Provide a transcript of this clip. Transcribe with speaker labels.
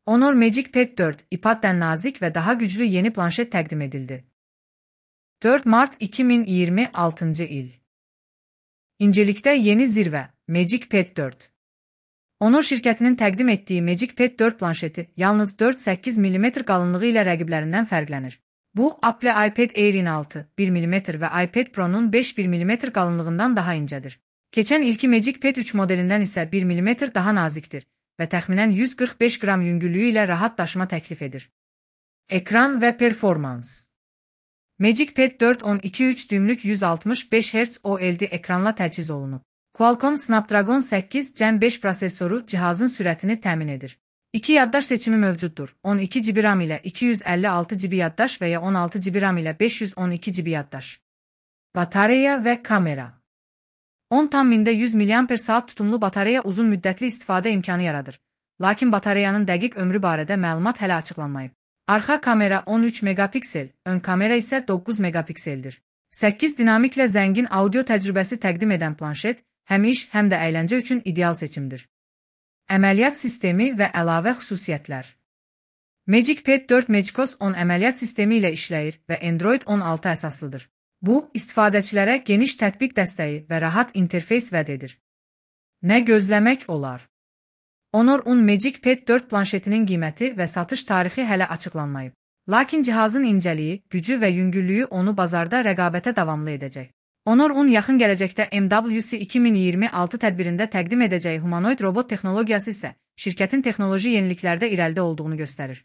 Speaker 1: Honor Magic Pad 4, iPad'den nazik ve daha güçlü yeni planşet təqdim edildi. 4 Mart 2026 il. İncelikdə yeni zirvə, Magic Pad 4. Honor şirkətinin təqdim etdiyi Magic Pad 4 planşeti yalnız 4,8 mm qalınlığı ilə rəqiblərindən fərqlənir. Bu, Apple iPad Air'in 6,1 mm və iPad Pro'nun 5,1 mm qalınlığından daha incədir. Keçən ilki Magic Pad 3 modelindən isə 1 mm daha nazikdir və təxminən 145 qram yüngüllüyü ilə rahat daşıma təklif edir. Ekran və performans. Magic Pad 4 12,3 düymlük 165 Hz OLED ekranla təchiz olunub. Qualcomm Snapdragon 8 Gen 5 prosesoru cihazın sürətini təmin edir. 2 yaddaş seçimi mövcuddur. 12 GB RAM ilə 256 GB yaddaş və ya 16 GB RAM ilə 512 GB yaddaş. Batareya və kamera. 10,100 mAh tutumlu batareya uzun müddətli istifadə imkanı yaradır. Lakin batareyanın dəqiq ömrü barədə məlumat hələ açıqlanmayıb. Arxa kamera 13 megapiksel, ön kamera isə 9 megapikseldir. 8 dinamiklə zəngin audio təcrübəsi təqdim edən planşet, həm iş, həm də əyləncə üçün ideal seçimdir. Əməliyyat sistemi və əlavə xüsusiyyətlər. Magic Pad 4 MagicOS 10 əməliyyat sistemi ilə işləyir və Android 16 əsaslıdır. Bu, istifadəçilərə geniş tətbiq dəstəyi və rahat interfeys vəd edir. Nə gözləmək olar? Honor 10 Magic Pad 4 planşetinin qiyməti və satış tarixi hələ açıqlanmayıb. Lakin cihazın incəliyi, gücü və yüngüllüyü onu bazarda rəqabətə davamlı edəcək. Honor 10 yaxın gələcəkdə MWC 2026 tədbirində təqdim edəcəyi humanoid robot texnologiyası isə şirkətin texnoloji yeniliklərdə irəlidə olduğunu göstərir.